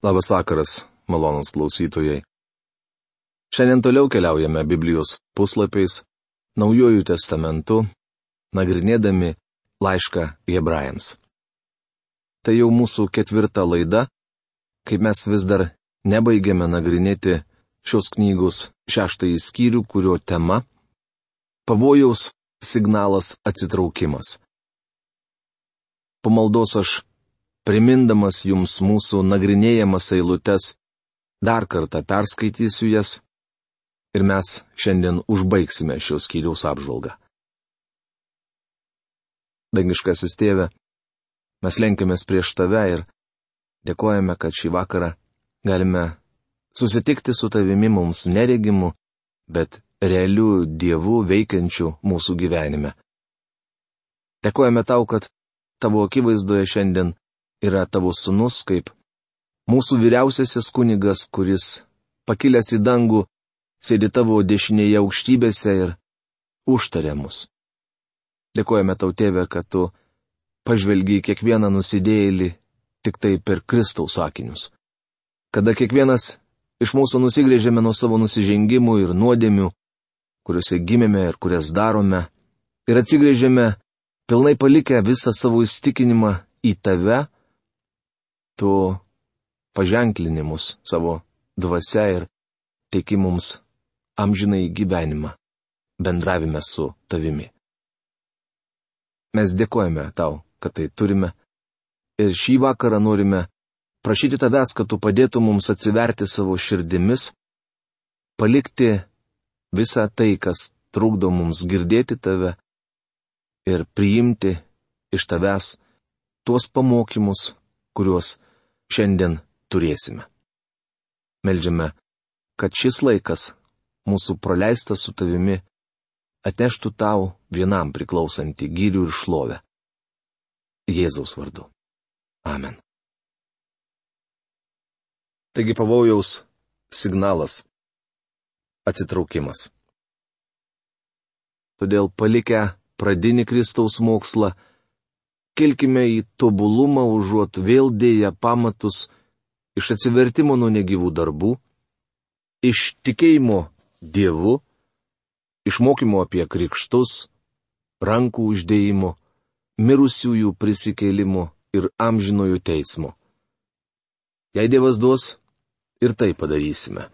Labas vakaras, malonūs klausytojai. Šiandien toliau keliaujame Biblijos puslapiais, Naujuoju testamentu, nagrinėdami laišką Hebrajams. Tai jau mūsų 4 laida, kai mes vis dar nebaigėme nagrinėti šios knygos 6 skyrių, kurio tema - pavojaus signalas atsitraukimas. Po maldos aš, primindamas jums mūsų nagrinėjamas eilutes, dar kartą perskaitysiu jas ir mes šiandien užbaigsime šios skyriaus apžvalgą. Dangiškasis Tėve, mes lenkiamės prieš Tave ir dėkojame, kad šį vakarą galime susitikti su Tavimi mums neregimu, bet realiu Dievu veikiančiu mūsų gyvenime. Dėkojame Tau, kad Tavo akivaizdoje šiandien yra Tavo sūnus kaip mūsų vyriausiasis kunigas, kuris, pakilęs į dangų, sėdi Tavo dešinėje aukštybėse ir užtaria mus. Dėkojame Tau, Tėve, kad Tu pažvelgi kiekvieną nusidėjėlį tik tai per Kristaus akinius. Kada kiekvienas iš mūsų nusigrėžėme nuo savo nusižengimų ir nuodėmių, kuriuose gimėme ir kurias darome, ir atsigrėžėme pilnai palikę visą savo įstikinimą į Tave, Tu paženklini mus savo dvasia ir teiki mums amžinai gyvenimą, bendravime su Tavimi. Mes dėkojame Tau, kad tai turime, ir šį vakarą norime prašyti Tavęs, kad Tu padėtum mums atsiverti savo širdimis, palikti visą tai, kas trukdo mums girdėti Tave, ir priimti iš Tavęs tuos pamokymus, kuriuos šiandien turėsime. Meldžiame, kad šis laikas, mūsų praleistas su Tavimi, atneštų Tau vienam priklausantį gyrių ir šlovę. Jėzaus vardu. Amen. Taigi pavojaus signalas - atsitraukimas. Todėl palikę pradinį Kristaus mokslą, kelkime į tobulumą užuot vėl dėję pamatus iš atsivertimo nuo negyvų darbų, iš tikėjimo Dievu, iš mokymo apie krikštus, rankų uždėjimo, mirusiųjų prisikėlimo ir amžinojo teismo. Jei Dievas duos, ir tai padarysime.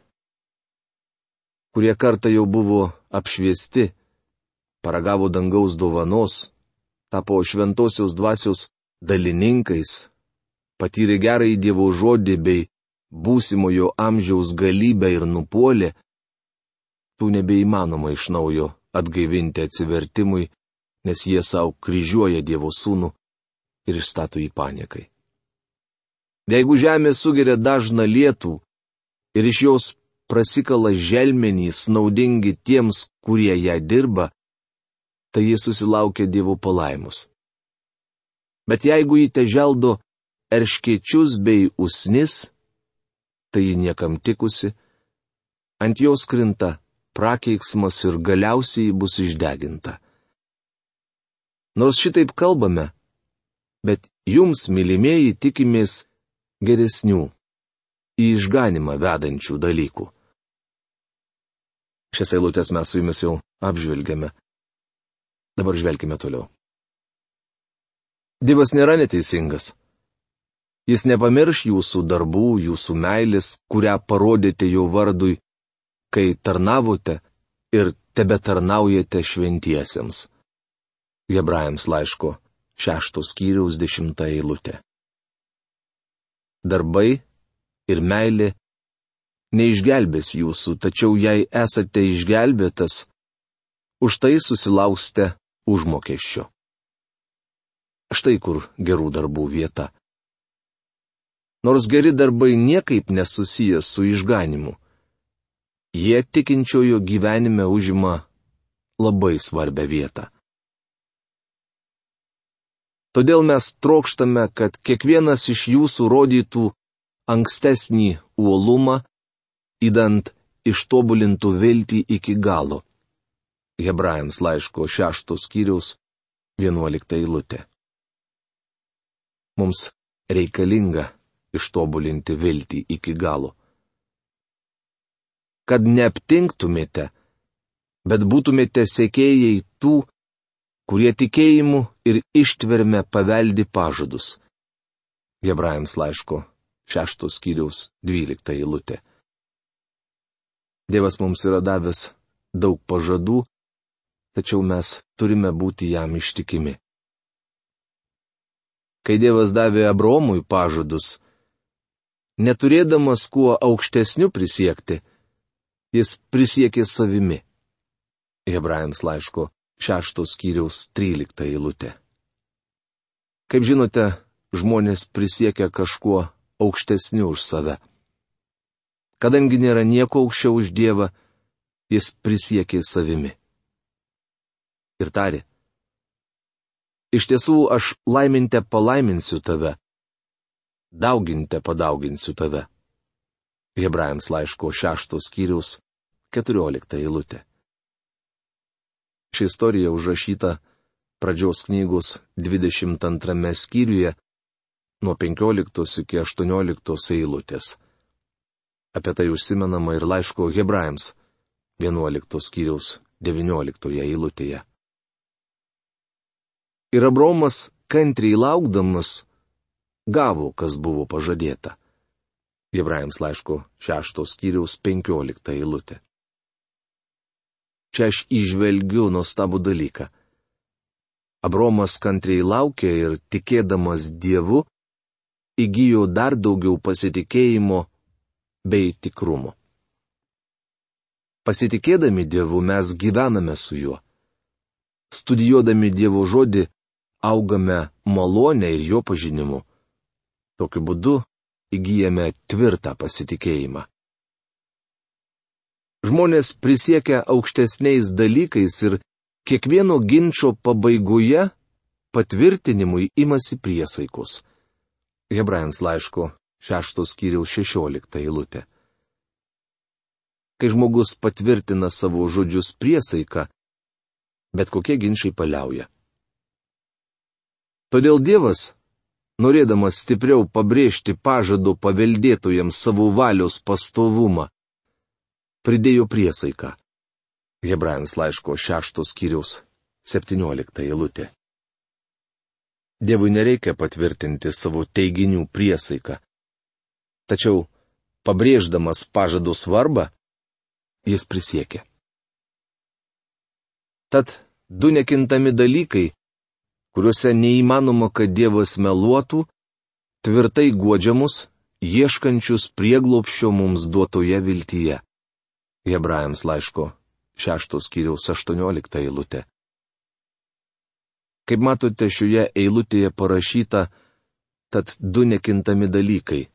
Kurie kartą jau buvo apšviesti, paragavo dangaus dovanos, tapo šventosios dvasios dalininkais, patyrė gerąjį Dievo žodį bei būsimojo amžiaus galybę ir nupuolė, tų nebeįmanoma iš naujo atgaivinti atsivertimui, nes jie savo kryžiuoja Dievo sūnų ir išstato jį paniekai. Jeigu žemė sugeria dažną lietų ir iš jos prasikala želmenys naudingi tiems, kurie ją dirba, tai jis susilaukia Dievo palaimus. Bet jeigu jį teželdo erškėčius bei usnis, tai ji niekam tikusi, ant jos krinta prakeiksmas ir galiausiai bus išdeginta. Nors šitaip kalbame, bet jums, mylimieji, tikimės geresnių, į išganimą vedančių dalykų. Šias eilutes mes su jumis jau apžvelgėme. Dabar žvelkime toliau. Dievas nėra neteisingas. Jis nepamirš jūsų darbų, jūsų meilės, kurią parodėte jo vardui, kai tarnavote ir tebetarnaujate šventiesiems. Hebrajams laiško 6 skyriaus 10 eilutė. Darbai ir meilė neišgelbės jūsų, tačiau jei esate išgelbėtas, už tai susilauksite užmokesčio. Štai kur gerų darbų vieta. Nors geri darbai niekaip nesusiję su išganimu, jie tikinčiojo gyvenime užima labai svarbią vietą. Todėl mes trokštame, kad kiekvienas iš jūsų rodytų ankstesnį uolumą, įdant ištobulintų viltį iki galo. Hebrajams laiško 6 skyriaus 11 eilutė. Mums reikalinga ištobulinti viltį iki galo. Kad neaptinktumėte, bet būtumėte sekėjai tų, kurie tikėjimu ir ištverme paveldi pažadus. Hebrajams laiško 6 skyriaus 12 eilutė. Dievas mums yra davęs daug pažadų, tačiau mes turime būti jam ištikimi. Kai Dievas davė Abraomui pažadus, neturėdamas kuo aukštesniu prisiekti, jis prisiekė savimi. Hebrajams laiško 6 skyriaus 13 eilutė. Kaip žinote, žmonės prisiekia kažkuo aukštesniu už save. Kadangi nėra nieko aukščiau už Dievą, jis prisiekė savimi. Ir tarė: iš tiesų aš laiminte palaiminsiu tave, dauginte padauginsiu tave. Hebrajams laiško 6 skyriaus 14 eilutė. Ši istorija užrašyta Pradžios knygos 22 skyriuje nuo 15 iki 18 eilutės. Apie tai užsimenama ir laiško Hebrajams 11 skyriaus 19 eilutėje. Ir Abraomas kantriai laukdamas gavo, kas buvo pažadėta. Hebrajams laiško 6 skyriaus 15 eilutė. Čia aš įžvelgiu nuostabų dalyką. Abraomas kantriai laukė ir tikėdamas Dievu įgijo dar daugiau pasitikėjimo bei tikrumo. Pasitikėdami Dievu mes gyvename su juo. Studijuodami Dievo žodį augame malonę ir jo pažinimu. Tokiu būdu įgyjame tvirtą pasitikėjimą. Žmonės prisiekia aukštesniais dalykais ir kiekvieno ginčo pabaigoje patvirtinimui imasi priesaikos. Hebrajams laiško 6 skyriaus 16 eilutė. Kai žmogus patvirtina savo žodžius priesaiką, bet kokie ginčiai paliauja. Todėl Dievas, norėdamas stipriau pabrėžti pažado paveldėtojams savo valios pastovumą, pridėjo priesaiką. Hebrajams laiško 6 skyriaus 17 eilutė. Dievui nereikia patvirtinti savo teiginių priesaiką. Tačiau, pabrėždamas pažado svarbą, jis prisiekė. Tad du nekintami dalykai, kuriuose neįmanoma, kad Dievas meluotų, tvirtai guodžia mus, ieškančius prieglobsčio mums duotoje viltyje. Hebrajams laiško 6 skyriaus 18 eilutė. Kaip matote, šioje eilutėje parašyta, tad du nekintami dalykai.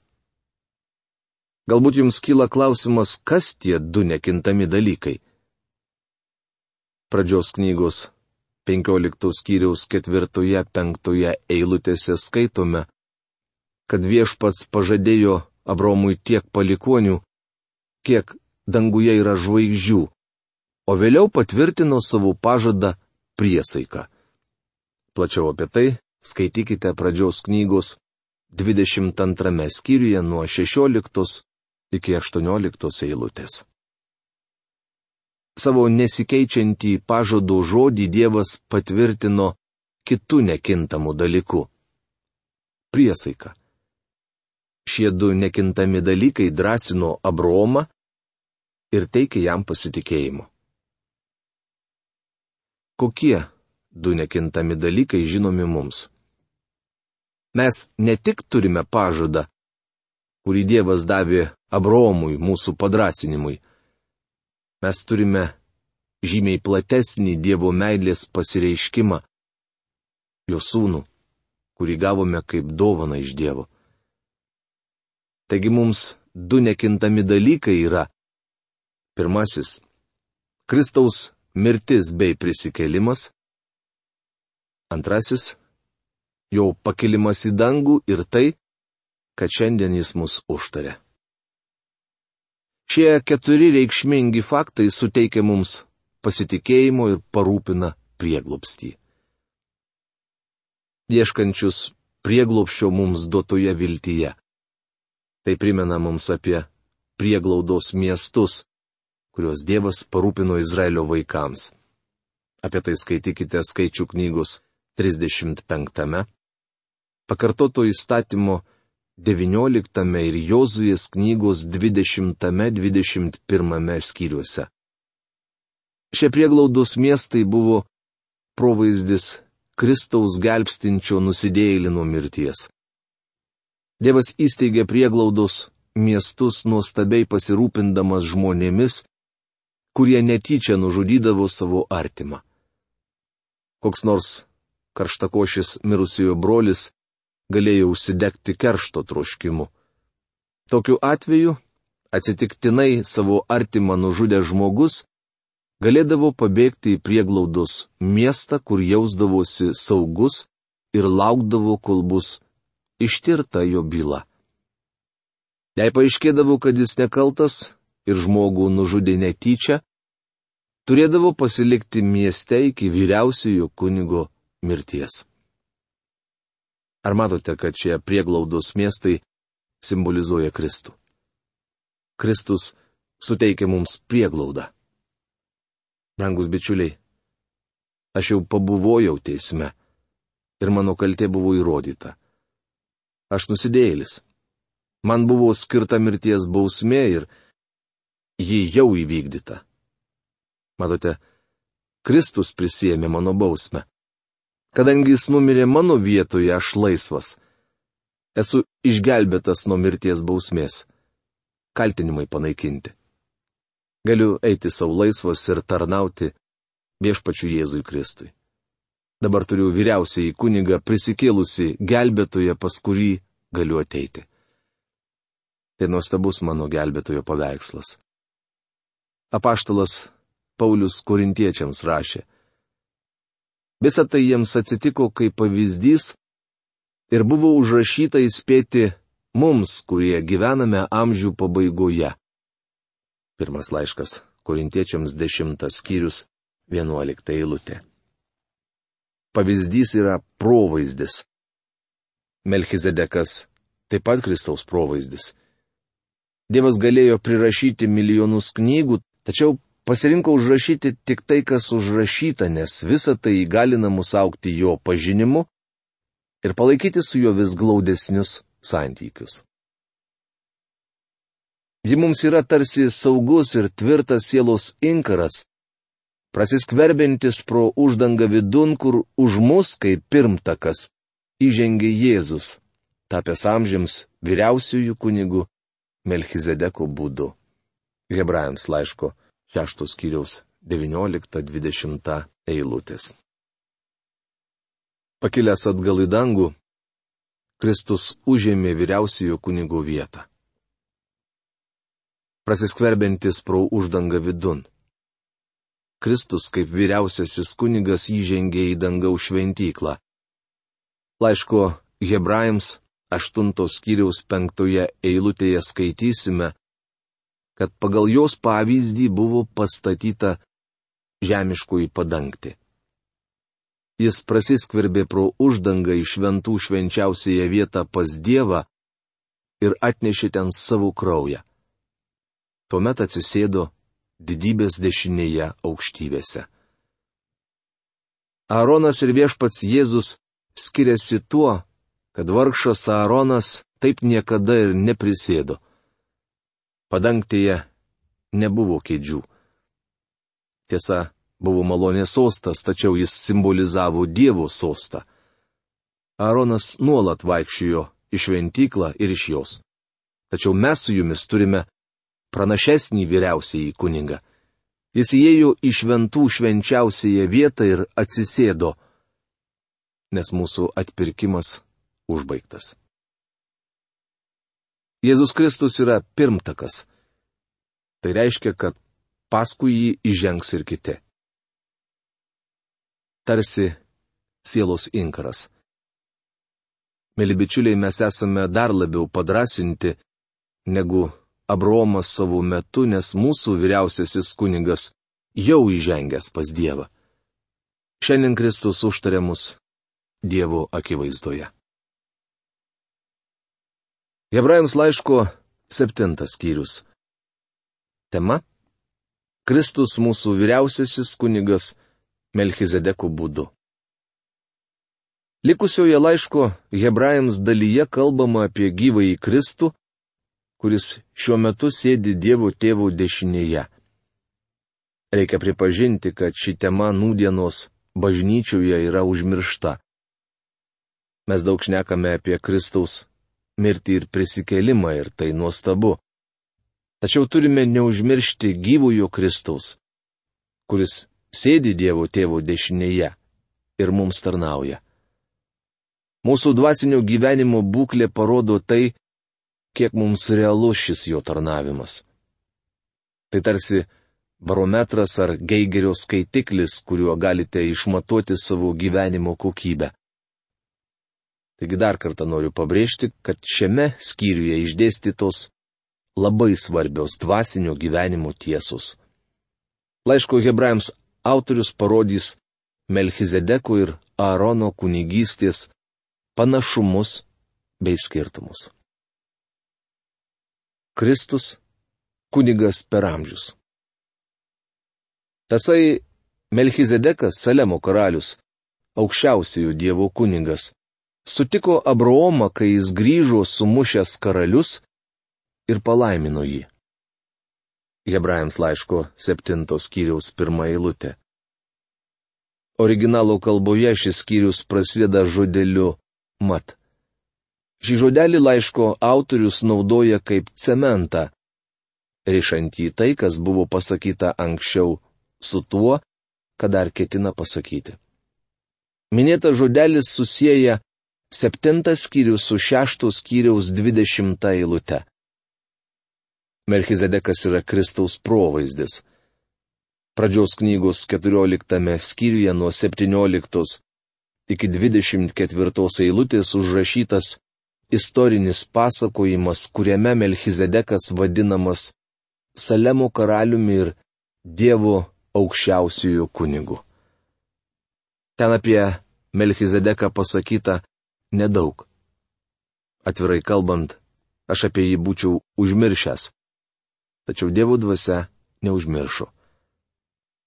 Galbūt jums kyla klausimas, kas tie du nekintami dalykai. Pradžios knygos 15 skyriaus 4-5 eilutėse skaitome, kad Viešpats pažadėjo Abraomui tiek palikonių, kiek danguje yra žvaigždžių, o vėliau patvirtino savo pažadą priesaiką. Plačiau apie tai skaitykite Pradžios knygos 22 skyriuje nuo 16 iki 18 eilutės. Savo nesikeičiantį pažado žodį Dievas patvirtino kitų nekintamų dalykų - priesaika. Šie du nekintami dalykai drąsino Abraomą ir teikė jam pasitikėjimo. Kokie du nekintami dalykai žinomi mums? Mes ne tik turime pažadą, kurį Dievas davė Abraomui mūsų padrasinimui. Mes turime žymiai platesnį Dievo meilės pasireiškimą, jo sūnų, kurį gavome kaip dovaną iš Dievo. Taigi mums du nekintami dalykai yra: pirmasis - Kristaus mirtis bei prisikėlimas. Antrasis - jo pakilimas į dangų ir tai, kad šiandien jis mus užtarė. Šie keturi reikšmingi faktai suteikia mums pasitikėjimo ir parūpina prieglobstį. Ieškančius prieglobsčio mums duotoje viltyje. Tai primena mums apie prieglaudos miestus, kuriuos Dievas parūpino Izraelio vaikams. Apie tai skaitykite Skaičių knygos 35, Pakartoto įstatymo 19 ir Jozuės knygos 20-21 skyriuose. Šie prieglaudos miestai buvo provaizdis Kristaus gelbstinčio nusidėjėlį nuo mirties. Dievas įsteigė prieglaudos miestus nuostabiai pasirūpindamas žmonėmis, kurie netyčia nužudydavo savo artimą. Koks nors karštakošis mirusiojo brolis galėjo užsidegti keršto troškimu. Tokiu atveju atsitiktinai savo artimą nužudęs žmogus galėdavo pabėgti į prieglaudos miestą, kur jausdavosi saugus ir laukdavo, kol bus ištirta jo byla. Jei paaiškėdavo, kad jis nekaltas ir žmogų nužudė netyčia, turėdavo pasilikti mieste iki vyriausiojo kunigo mirties. Ar matote, kad šie prieglaudos miestai simbolizuoja Kristų? Kristus suteikia mums prieglaudą. Brangus bičiuliai, aš jau pabuvojau teisme ir mano kaltė buvo įrodyta. Aš nusidėjėlis. Man buvo skirta mirties bausmė ir ji jau įvykdyta. Matote, Kristus prisiėmė mano bausmę. Kadangi jis numirė mano vietoje, aš laisvas. Esu išgelbėtas nuo mirties bausmės. Kaltinimai panaikinti. Galiu eiti savo laisvas ir tarnauti viešpačiu Jėzui Kristui. Dabar turiu vyriausiąjį kunigą prisikėlusi gelbėtoją, pas kurį galiu ateiti. Tai nuostabus mano gelbėtojo paveikslas. Apaštalas Paulius Korintiečiams rašė: Visa tai jiems atsitiko kaip pavyzdys ir buvo užrašyta įspėti mums, kurie gyvename amžių pabaigoje. Pirmas laiškas Korintiečiams 10 skyrius 11 eilutė. Pavyzdys yra provaizdis. Melchizedekas taip pat Kristaus provaizdis. Dievas galėjo prirašyti milijonus knygų, tačiau pasirinko užrašyti tik tai, kas užrašyta, nes visa tai įgalina mus augti jo pažinimu ir palaikyti su juo vis glaudesnius santykius. Ji mums yra tarsi saugus ir tvirtas sielos inkaras, prasiskverbiantis pro uždangą vidun, kur už mus, kaip pirmtakas, įžengė Jėzus, tapęs amžiams vyriausiųjų kunigų Melchizedeko būdu. Hebrajams laiško 6 skyriaus 19-20 eilutės. Pakilęs atgal į dangų, Kristus užėmė vyriausiojo kunigo vietą. Prasiskverbiantis pro uždangą vidun. Kristus kaip vyriausiasis kunigas įžengė į dangaus šventyklą. Laiško Hebrajams 8 skyriaus 5 eilutėje skaitysime, kad pagal jos pavyzdį buvo pastatyta žemiškoji padangtė. Jis prasiskverbė pro uždangą į šventų švenčiausiąją vietą pas Dievą ir atnešė ten savo kraują. Tuomet atsisėdo didybės dešinėje aukštybėse. Aaronas ir viešpats Jėzus skiriasi tuo, kad vargšas Aaronas taip niekada ir neprisėdo. Padangtėje nebuvo kėdžių. Tiesa, buvo malonės sostas, tačiau jis simbolizavo Dievo sostą. Aaronas nuolat vaikščiojo į šventyklą ir iš jos. Tačiau mes su jumis turime pranašesnį vyriausiąjį kunigą. Jis įėjo į šventų švenčiausiąją vietą ir atsisėdo, nes mūsų atpirkimas užbaigtas. Jėzus Kristus yra pirmtakas. Tai reiškia, kad paskui jį įžengs ir kiti. Tarsi sielos inkaras. Mėly bičiuliai, mes esame dar labiau padrasinti negu Abraomas savo metu, nes mūsų vyriausiasis kunigas jau įžengęs pas Dievą. Šiandien Kristus užtarė mus Dievo akivaizdoje. Hebrajams laiško 7 skyrius. Tema - Kristus mūsų vyriausiasis kunigas Melchizedeko būdu. Likusioje laiško Hebrajams dalyje kalbama apie gyvąjį Kristų, kuris šiuo metu sėdi Dievo Tėvo dešinėje. Reikia pripažinti, kad ši tema nūdienos bažnyčioje yra užmiršta. Mes daug šnekame apie Kristaus mirtį ir prisikėlimą ir tai nuostabu. Tačiau turime neužmiršti gyvojo Kristaus, kuris sėdi Dievo Tėvo dešinėje ir mums tarnauja. Mūsų dvasinio gyvenimo būklė parodo tai, kiek mums realus šis jo tarnavimas. Tai tarsi barometras ar Geigerio skaitiklis, kuriuo galite išmatuoti savo gyvenimo kokybę. Taigi dar kartą noriu pabrėžti, kad šiame skyriuje išdėstytos labai svarbios dvasinio gyvenimo tiesos. Laiško Hebrajams autorius parodys Melchizedeko ir Aarono kunigystės panašumus bei skirtumus. Kristus - kunigas per amžius. Tasai Melchizedekas, Salemo karalius, aukščiausiojo Dievo kunigas, sutiko Abraomą, kai jis grįžo sumušęs karalius ir palaimino jį. Hebrajams laiško 7 skyriaus 1 eilutė. Originalo kalboje šis skyrius prasideda žodeliu mat. Šį žodelį laiško autorius naudoja kaip cementą, rišantį tai, kas buvo pasakyta anksčiau, su tuo, ką dar ketina pasakyti. Minėtas žodelis susieja 7 skyrius su 6 skyriaus 20 eilute. Melchizedekas yra Kristaus provaizdis. Pradžios knygos 14 skyriuje nuo 17 iki 24 eilutės užrašytas istorinis pasakojimas, kuriame Melchizedekas vadinamas Salemo karaliumi ir Dievo aukščiausiųjų kunigu. Ten apie Melchizedeką pasakyta nedaug. Atvirai kalbant, aš apie jį būčiau užmiršęs. Tačiau Dievo dvasia neužmiršo.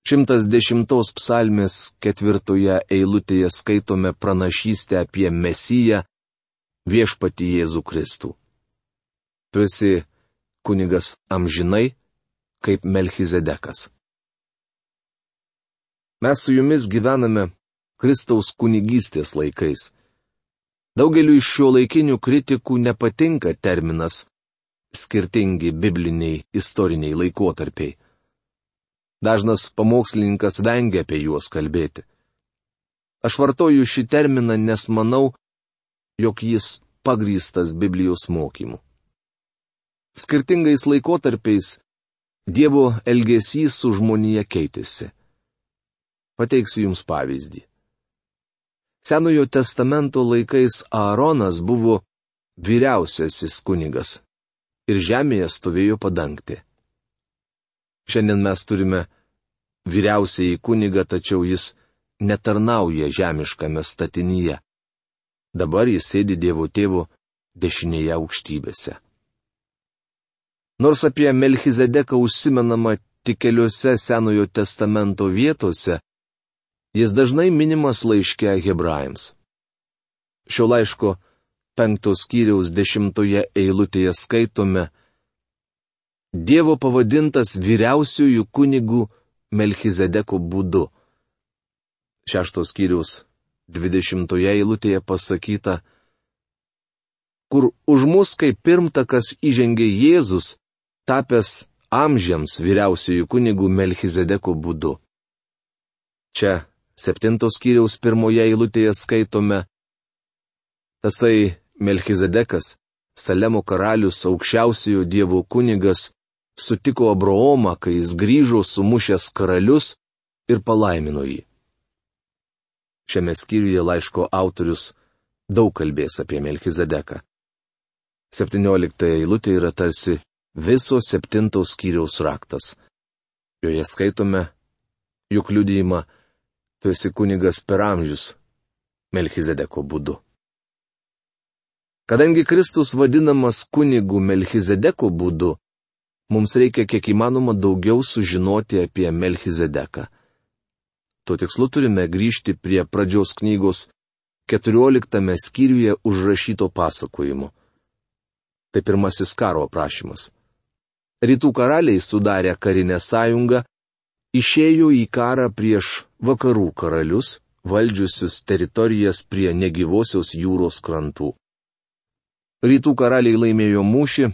110 psalmės 4 eilutėje skaitome pranašystę apie Mesiją, viešpatį Jėzų Kristų. Tu esi kunigas amžinai, kaip Melchizedekas. Mes su jumis gyvename Kristaus kunigystės laikais. Daugeliu iš šio laikinių kritikų nepatinka terminas skirtingi bibliniai istoriniai laikotarpiai. Dažnas pamokslininkas vengia apie juos kalbėti. Aš vartoju šį terminą, nes manau, jog jis pagrįstas Biblijos mokymu. Skirtingais laikotarpiais Dievo elgesys su žmonija keitėsi. Pateiksiu jums pavyzdį. Senojo testamento laikais Aaronas buvo vyriausiasis kunigas ir žemėje stovėjo padangtė. Šiandien mes turime vyriausiąjį kunigą, tačiau jis netarnauja žemiškame statinyje. Dabar jis sėdi Dievo Tėvo dešinėje aukštybėse. Nors apie Melchizedeką užsimenama tik keliose Senojo testamento vietose, jis dažnai minimas laiške Hebrajams. Šio laiško 5 skyriaus 10 eilutėje skaitome: Dievo pavadintas vyriausiųjų kunigų Melchizedeko būdu. 6 skyriaus 20 eilutėje pasakyta: kur už mus kaip pirmtakas įžengė Jėzus, tapęs amžiams vyriausiųjų kunigų Melchizedeko būdu. Čia 7 skyriaus 1 eilutėje skaitome: tasai Melchizedekas, Salemo karalius, aukščiausiojo Dievo kunigas, sutiko Abraomą, kai jis grįžo sumušęs karalius ir palaimino jį. Šiame skyriuje laiško autorius daug kalbės apie Melchizedeką. 17 eilutė yra tarsi viso 7 skyriaus raktas. Joje skaitome, juk liudijimą: tu esi kunigas per amžius Melchizedeko būdu. Kadangi Kristus vadinamas kunigu Melchizedeku būdu, mums reikia kiek įmanoma daugiau sužinoti apie Melchizedeką. Tuo tikslu turime grįžti prie pradžios knygos 14 skyriuje užrašyto pasakojimo. Tai pirmasis karo aprašymas. Rytų karaliai sudarę karinę sąjungą, išėjo į karą prieš vakarų karalius, valdžiusius teritorijas prie negyvosios jūros krantų. Rytų karaliai laimėjo mūšį,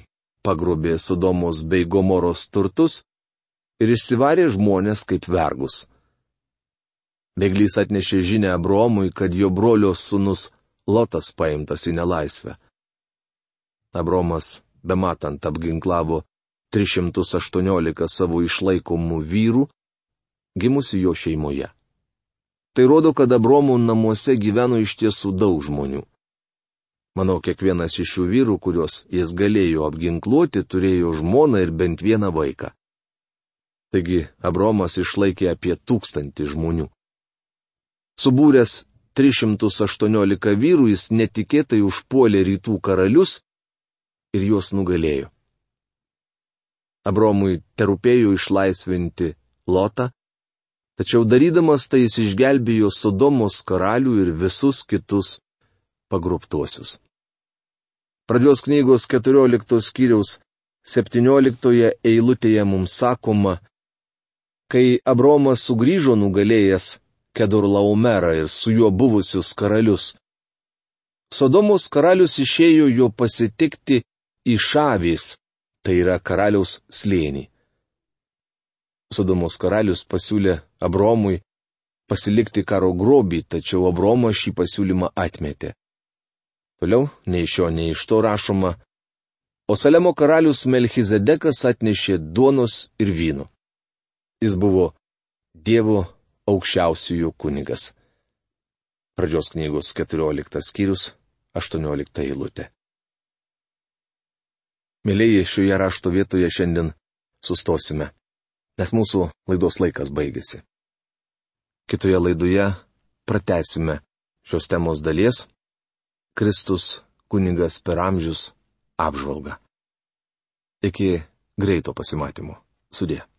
pagrobė Sodomos bei Gomoros turtus ir išsivarė žmonės kaip vergus. Bėglys atnešė žinią Abromui, kad jo brolio sūnus Lotas paimtas į nelaisvę. Abromas, bematant, apginklavo 318 savo išlaikomų vyrų, gimusių jo šeimoje. Tai rodo, kad Abromų namuose gyveno iš tiesų daug žmonių. Manau, kiekvienas iš šių vyrų, kuriuos jis galėjo apginkluoti, turėjo žmoną ir bent vieną vaiką. Taigi, Abromas išlaikė apie 1000 žmonių. Subūręs 318 vyrų, jis netikėtai užpuolė rytų karalius ir juos nugalėjo. Abromui terūpėjo išlaisvinti Lotą, tačiau darydamas tai jis išgelbėjo Sodomos karalių ir visus kitus pagrobtuosius. Pradžios knygos 14 skyriaus 17 eilutėje mums sakoma, kai Abromas sugrįžo nugalėjęs Kedorlaomerą ir su juo buvusius karalius. Sodomos karalius išėjo jo pasitikti į Šavės, tai yra karaliaus slėnį. Sodomos karalius pasiūlė Abromui pasilikti karo grobį, tačiau Abromas šį pasiūlymą atmetė. Toliau, nei iš šio, nei iš to rašoma, o Salemo karalius Melchizedekas atnešė duonos ir vyno. Jis buvo Dievo aukščiausiųjų kunigas. Pradžios knygos 14 skyrius, 18 eilutė. Mėlyji, šioje rašto vietoje šiandien sustosime, nes mūsų laidos laikas baigėsi. Kitoje laidoje pratęsime šios temos dalies Kristus kunigas per amžius apžvalgą. Iki greito pasimatymo. Sudie.